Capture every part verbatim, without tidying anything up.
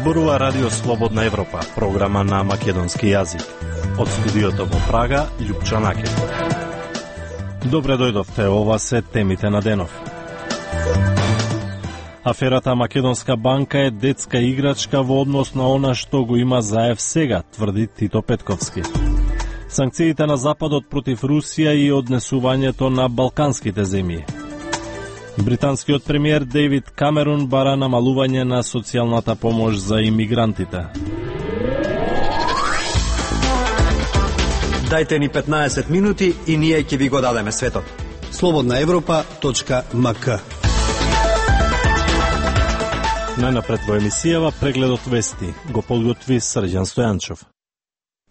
Зборува Радио Слободна Европа, програма на македонски јазик. Од студиото во Прага, Љупча Накет. Добре дојдовте, ова се темите на денов. Аферата Македонска банка е детска играчка во однос на она што го има заев сега, тврди Тито Петковски. Санкциите на Западот против Русија и однесувањето на балканските земји. Британскиот премиер Дейвид Камерун бара намалување на социјалната помош за имигрантите. Дајте ни петнаесет минути и ние ќе ви го дадеме светот. слободна европа точка ем ка. Најнапред во емисијава прегледот вести го подготви Срđan Стојанчов.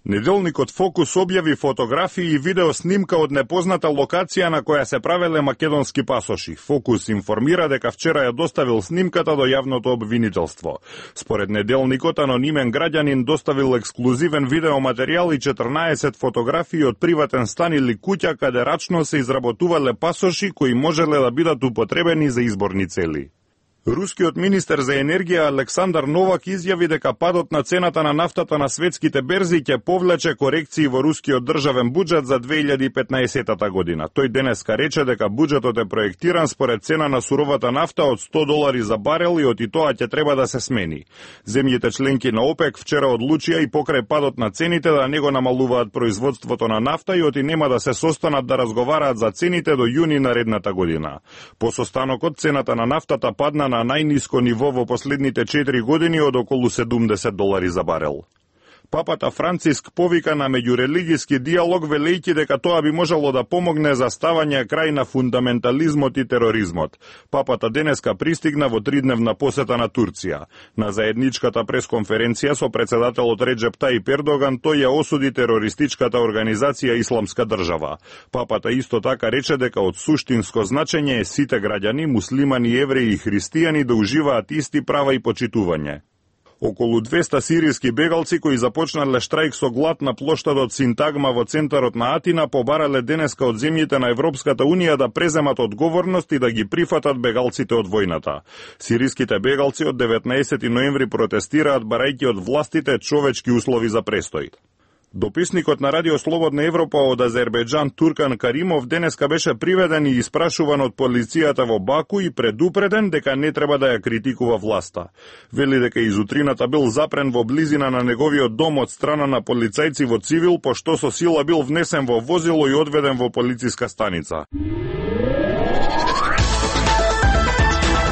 Неделникот Фокус објави фотографии и видео снимка од непозната локација на која се правеле македонски пасоши. Фокус информира дека вчера ја доставил снимката до јавното обвинителство. Според неделникот, анонимен граѓанин доставил ексклузивен видеоматеријал и четрнаесет фотографии од приватен стан или куќа каде рачно се изработувале пасоши кои можеле да бидат употребени за изборни цели. Рускиот министер за енергија Александар Новак изјави дека падот на цената на нафтата на светските берзи ќе повлече корекции во рускиот државен буџет за две илјади и петнаесетта година. Тој денеска рече дека буџетот е проектиран според цена на суровата нафта од сто долари за барел и од и тоа ќе треба да се смени. Земјите членки на ОПЕК вчера одлучија и покрај падот на цените да не го намалуваат производството на нафта и оти нема да се состанат да разговараат за цените до јуни наредната година. По состанокот цената на нафтата падна на најниско ниво во последните четири години од околу седумдесет долари за барел. Папата Франциск повика на меѓурелигиски диалог, велејќи дека тоа би можело да помогне за ставање крај на фундаментализмот и тероризмот. Папата денеска пристигна во тридневна посета на Турција. На заедничката пресконференција со председателот Реджеп Тајип Ердоган тој ја осуди терористичката организација Исламска држава. Папата исто така рече дека од суштинско значење е сите граѓани, муслимани, евреи и христијани да уживаат исти права и почитување. Околу двеста сиријски бегалци кои започнале штрајк со глад на плоштадот Синтагма во центарот на Атина побарале денеска од земјите на Европската унија да преземат одговорност и да ги прифатат бегалците од војната. Сиријските бегалци од деветнаесети ноември протестираат барајќи од властите човечки услови за престој. Дописникот на Радио Слободна Европа од Азербејџан Туркан Каримов денеска беше приведен и испрашуван од полицијата во Баку и предупреден дека не треба да ја критикува власта. Вели дека изутрината бил запрен во близина на неговиот дом од страна на полицајци во цивил, пошто со сила бил внесен во возило и одведен во полициска станица.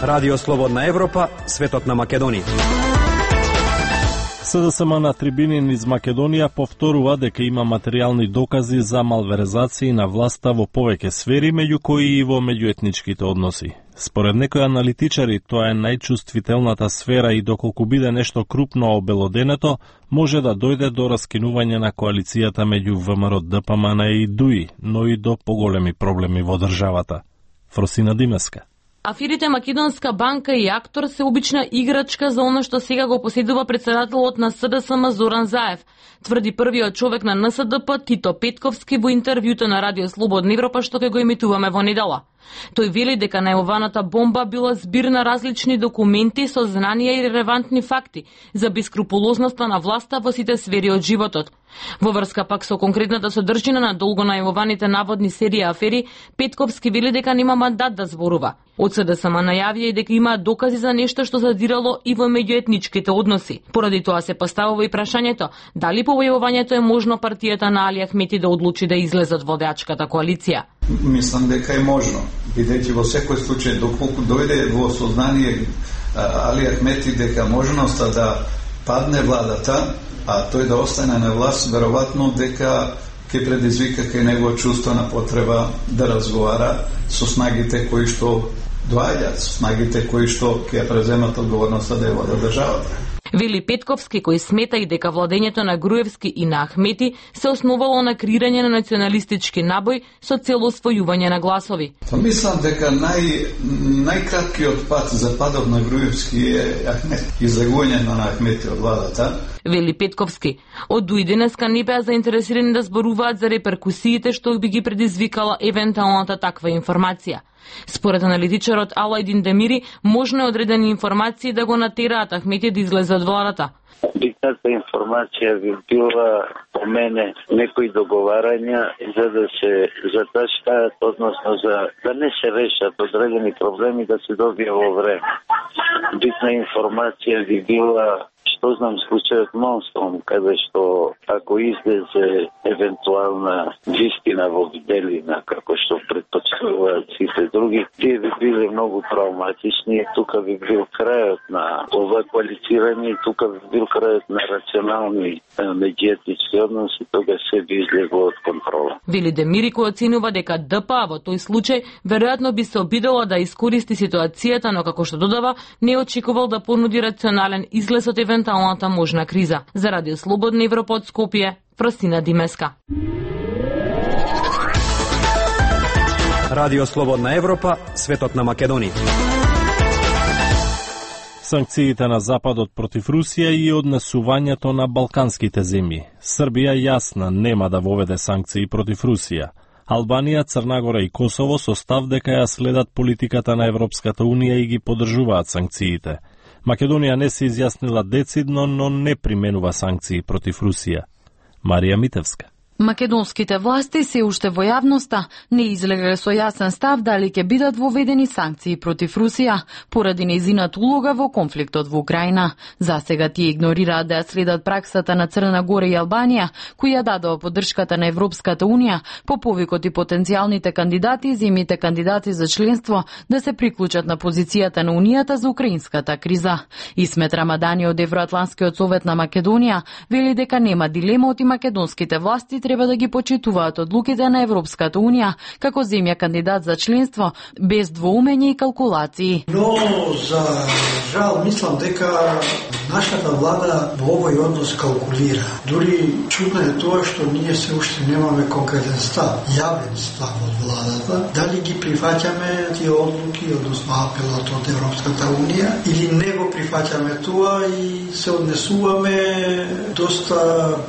Радио Слободна Европа, светот на Македонија. СДСМ на трибини низ Македонија повторува дека има материјални докази за малверзации на власта во повеќе сфери, меѓу кои и во меѓуетничките односи. Според некои аналитичари, тоа е најчувствителната сфера и доколку биде нешто крупно обелоденето, може да дојде до раскинување на коалицијата меѓу ВМРО, ДПМН и ДУИ, но и до поголеми проблеми во државата. Фросина Димеска. Аферите Македонска банка и Актор се обична играчка за оно што сега го поседува председателот на СДСМ Зоран Заев, тврди првиот човек на НСДП Тито Петковски во интервјуто на Радио Слободна Европа што ќе го емитуваме во недела. Тој вели дека најавуваната бомба била збир на различни документи со знанија и релевантни факти за бескрупулозноста на власта во сите сфери од животот. Во врска пак со конкретната содржина на долго најавуваните наводни серија афери, Петковски вели дека нема мандат да зборува. Од СДСМ најавија и дека има докази за нешто што задирало и во меѓуетничките односи. Поради тоа се поставува и прашањето дали по војувањето е можно партијата на Али Ахмети да одлучи да излезе од водачката коалиција. Мислам дека е можно, бидејќи во секој случај доколку дојде во сознание Али Ахмети дека можноста да падне владата, а тој да остане на власт, веројатно дека ќе предизвика кај него чувствена потреба да разговара со снагите кои што доаѓаат, со снагите кои што ќе преземат одговорноста да ја водат државата. Вели Петковски, кој смета и дека владењето на Груевски и на Ахмети се основало на креирање на националистички набој со цел освојување на гласови. Мислам дека нај најкраткиот пат за падот на Груевски е Ахмети, излегување на Ахмети од владата. вели Петковски. Од дуи денеска не беа заинтересирани да зборуваат за реперкусиите што би ги предизвикала евентуалната таква информација. Според аналитичарот Алајдин Демири, можно е одредени информации да го натераат Ахмети да излезе од владата. Битната информација би била по мене некои договарања за да се заташтаат, односно за да не се решат одредени проблеми, да се добие во време. Битна информација би била, што знам, случајот Монстром, каде што ако излезе евентуална вистина во виделина, како што предпочитуваат сите други, тие би биле многу травматични и тука би бил крајот на ова квалифирање и тука би бил крајот на рационални медиетички односи, тога се би излегло од контрола. Вели Демири, кој оценува дека ДПА во тој случај веројатно би се обидела да искористи ситуацијата, но како што додава, не очекувал да понуди рационален излез од евентуалната можна криза. За Радио Слободна Европа од Скопје, Прасина Димеска. Радио Слободна Европа, светот на Македонија. Санкциите на Западот против Русија и однесувањето на балканските земји. Србија јасна нема да воведе санкции против Русија. Албанија, Црнагора и Косово со став дека ја следат политиката на Европската Унија и ги поддржуваат санкциите. Македонија не се изјаснила децидно, но не применува санкции против Русија. Марија Митевска. Македонските власти се уште во јавноста не излегле со јасен став дали ќе бидат воведени санкции против Русија поради нејзината улога во конфликтот во Украина. Засега тие игнорираат да ја следат праксата на Црна Гора и Албанија, кои ја дадоа поддршката на Европската Унија по повикот и потенцијалните кандидати и земјите кандидати за членство да се приклучат на позицијата на Унијата за украинската криза. Исмет Рамадани од Евроатланскиот совет на Македонија вели дека нема дилема од и македонските власти треба да ги почитуваат одлуките на Европската Унија како земја кандидат за членство без двоумење и калкулации. Но за жал мислам дека нашата влада во овој однос калкулира. Дури чудно е тоа што ние се уште немаме конкретен став, јавен став од владата, дали ги прифаќаме тие одлуки, односно апелот од Европската Унија, или не го прифаќаме тоа и се однесуваме доста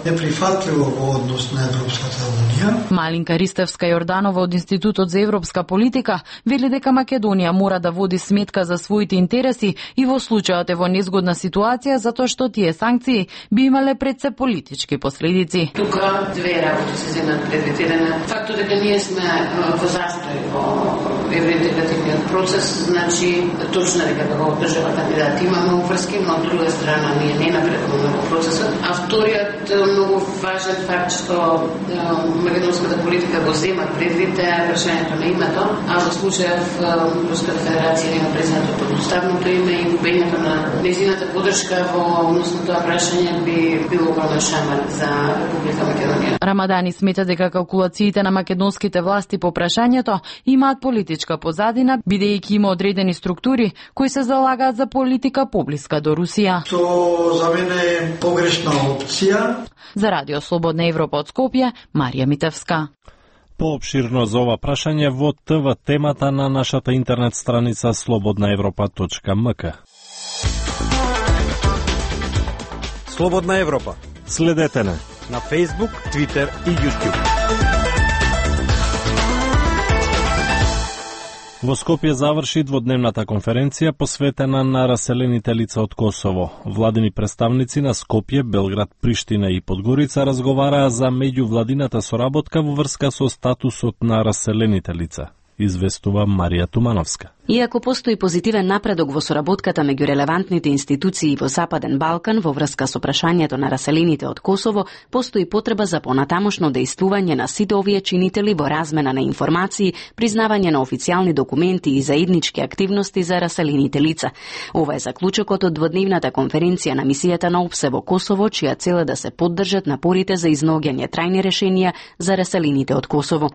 неприфатливо во однос на Европската Унија. Малинка Ристевска Јорданова од Институтот за европска политика вели дека Македонија мора да води сметка за своите интереси и во случајот е во незгодна ситуација затоа што тие санкции би имале пред се политички последици. Тука две работи се земат предвид. Еден фактот дека ние сме во застој во евроинтегративниот процес, значи точно дека како држава кандидат имаме уврски, но од друга страна ние не напредуваме во процесот. А вториот многу важен факт што македонската политика го зема предвид е прашањето на името, а во случајов Руската федерација има признато подуставното име и губењето на нејзината поддршка во однос на тоа прашање би било огромен шамар за Република Македонија. Рамадани смета дека калкулациите на македонските власти по прашањето имаат политичка позадина, бидејќи има одредени структури кои се залагаат за политика поблиска до Русија. Тоа за мене е погрешна опција. За Радио Слободна Европа од Скопје, Марија Митевска. Поопширно за ова прашање во ТВ темата на нашата интернет страница слободна европа точка ем ка. Слободна Европа. Следете не на Facebook, Twitter и YouTube. Во Скопје заврши дводневната конференција посветена на раселените лица од Косово. Владини представници на Скопје, Белград, Приштина и Подгорица разговараа за меѓувладината соработка во врска со статусот на раселените лица, известува Марија Тумановска. Иако постои позитивен напредок во соработката меѓу релевантните институции во Западен Балкан во врска со прашањето на раселените од Косово, постои потреба за понатамошно дејствување на сите овие чинители во размена на информации, признавање на официјални документи и заеднички активности за раселените лица. Ова е заклучокот од дводневната конференција на мисијата на ОПСЕ во Косово, чија цел е да се поддржат напорите за изнаоѓање трајни решенија за раселените од Косово.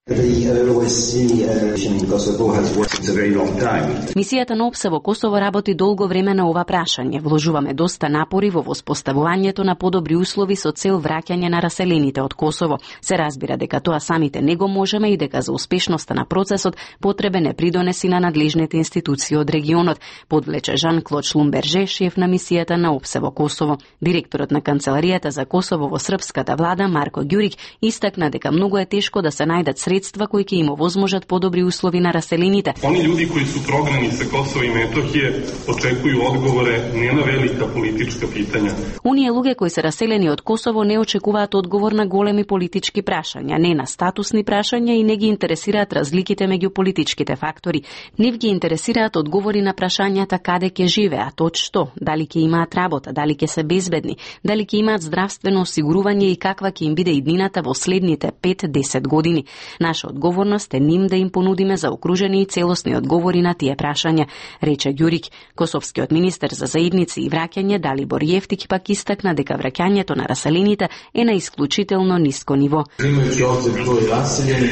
zajednice. Мисијата на ОПСЕ во Косово работи долго време на ова прашање. Вложуваме доста напори во воспоставувањето на подобри услови со цел враќање на раселените од Косово. Се разбира дека тоа самите не го можеме и дека за успешноста на процесот потребен е придонеси на надлежните институции од регионот, подвлече Жан-Клод Шлумберже, шеф на мисијата на ОПСЕ во Косово. Директорот на Канцеларијата за Косово во српската влада Марко Ѓурик истакна дека многу е тешко да се најдат средства кои ќе им овозможат подобри услови на раселените. Они луѓе кои су прогнани sa Kosova i Metohije očekuju odgovore не на велика политичка питања. Оние луѓе кои се раселени од Косово не очекуваат одговор на големи политички прашања, не на статусни прашања и не ги интересираат разликите меѓу политичките фактори. Нив ги интересираат одговори на прашањата каде ќе живеат, од што, дали ќе имаат работа, дали ќе се безбедни, дали ќе имаат здравствено осигурување и каква ќе им биде иднината во следните пет до десет години. Наша одговорност е ним да им понудиме заокружени и целосни одговори на тие прашања, рече Ѓурик. Косовскиот министер за заедници и враќање Далибор Јефтик пак истакна дека враќањето на раселените е на исклучително ниско ниво. Имајќи обзир број раселени,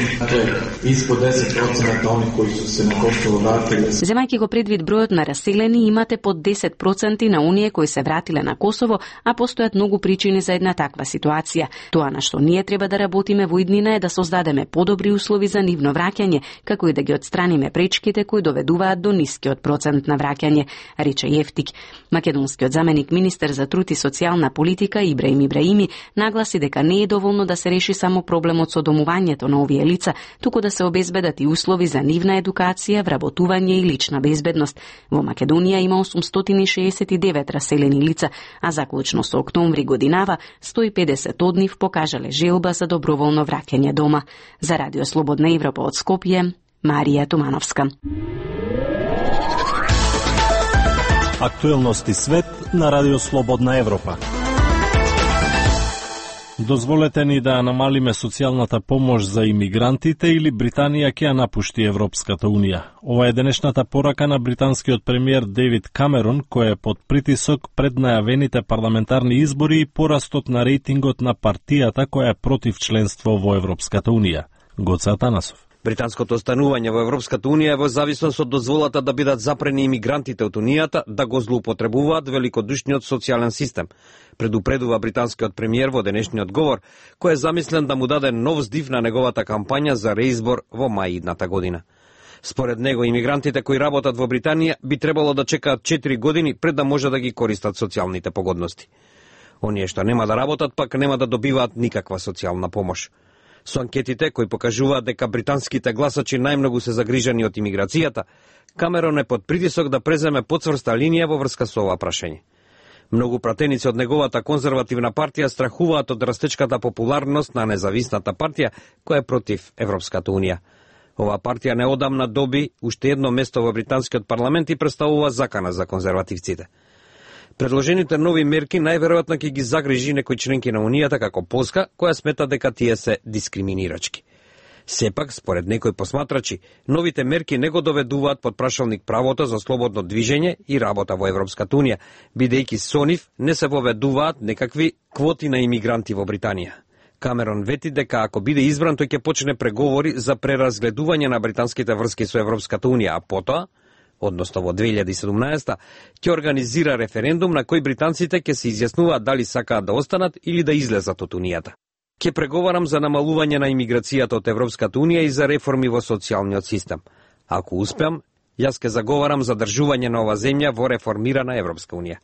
е испод десет проценти они кои су се на Косово вратиле. Земајќи го предвид бројот на раселени, имате под десет проценти на оние кои се вратиле на Косово, а постојат многу причини за една таква ситуација. Тоа на што ние треба да работиме во иднина е да создадеме подобри услови за нивно враќање, како и да ги отстраниме пречките кои доведуваат до нискиот процент на враќање, рече Јефтик. Македонскиот заменик министер за труд и социјална политика Ибраим Ибраими нагласи дека не е доволно да се реши само проблемот со домувањето на овие лица, туку да се обезбедат и услови за нивна едукација, вработување и лична безбедност. Во Македонија има осумстотини шеесет и девет раселени лица, а заклучно со октомври годинава сто и педесет од нив покажале желба за доброволно враќање дома. За Радио Слободна Европа од Скопје, Марија Тумановска. Актуелности свет на Радио Слободна Европа. Дозволете ни да намалиме социјалната помош за имигрантите или Британија ќе ја напушти Европската Унија. Ова е денешната порака на британскиот премиер Дейвид Камерон, кој е под притисок пред најавените парламентарни избори и порастот на рейтингот на партијата која е против членство во Европската Унија. Гоце Атанасов. Британското останување во Европската Унија е во зависност од дозволата да бидат запрени имигрантите од Унијата да го злоупотребуваат великодушниот социјален систем, предупредува британскиот премиер во денешниот говор, кој е замислен да му даде нов здив на неговата кампања за реизбор во мај идната година. Според него, имигрантите кои работат во Британија би требало да чекаат четири години пред да може да ги користат социјалните погодности. Оние што нема да работат, пак нема да добиваат никаква социјална помош. Со анкетите кои покажуваат дека британските гласачи најмногу се загрижени од имиграцијата, Камерон е под притисок да преземе потврста линија во врска со ова прашање. Многу пратеници од неговата конзервативна партија страхуваат од растечката популарност на независната партија која е против Европската Унија. Ова партија неодамна доби уште едно место во британскиот парламент и представува закана за конзервативците. Предложените нови мерки најверојатно ќе ги загрижи некои членки на Унијата како Полска, која смета дека тие се дискриминирачки. Сепак, според некои посматрачи, новите мерки не го доведуваат под прашалник правото за слободно движење и работа во Европската Унија, бидејќи со нив не се воведуваат некакви квоти на имигранти во Британија. Камерон вети дека ако биде избран, тој ќе почне преговори за преразгледување на британските врски со Европската Унија, а потоа, односно во две илјади и седумнаесета, ќе организира референдум на кој британците ќе се изјаснуваат дали сакаат да останат или да излезат од Унијата. Ќе преговарам за намалување на имиграцијата од Европската Унија и за реформи во социјалниот систем. Ако успеам, јас ќе заговарам за држување на ова земја во реформирана Европска Унија.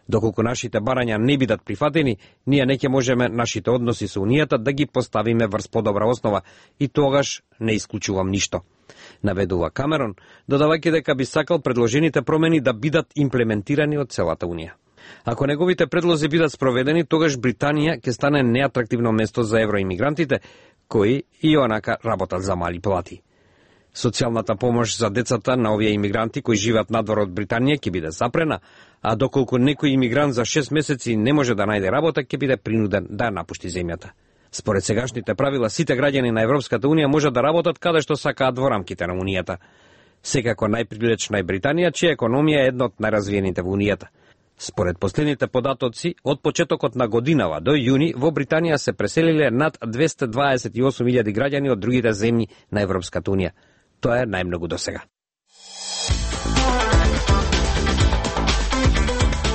Доколку нашите барања не бидат прифатени, ние не ќе можеме нашите односи со Унијата да ги поставиме врз подобра основа и тогаш не исклучувам ништо, наведува Камерон, додавајќи дека би сакал предложените промени да бидат имплементирани од целата Унија. Ако неговите предлози бидат спроведени, тогаш Британија ќе стане неатрактивно место за евроимигрантите, кои и онака работат за мали плати. Социјалната помош за децата на овие имигранти кои живеат надвор од Британија ќе биде запрена, а доколку некој имигрант за шест месеци не може да најде работа, ќе биде принуден да напушти земјата. Според сегашните правила, сите граѓани на Европската Унија може да работат каде што сакаат во рамките на Унијата. Секако најприлична е Британија, чија економија е една од најразвиените во Унијата. Според последните податоци, од почетокот на годинава до јуни во Британија се преселиле над двесте дваесет и осум илјади граѓани од другите земји на Европската Унија. Тоа е најмногу до сега.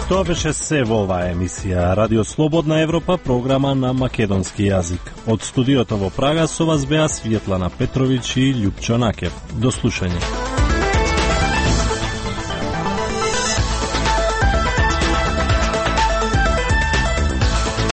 Тоа беше се во оваа емисија Радио Слободна Европа, програма на македонски јазик. Од студиото во Прага со вас беа Светлана Петровиќ и Љупчо Накев. До слушање.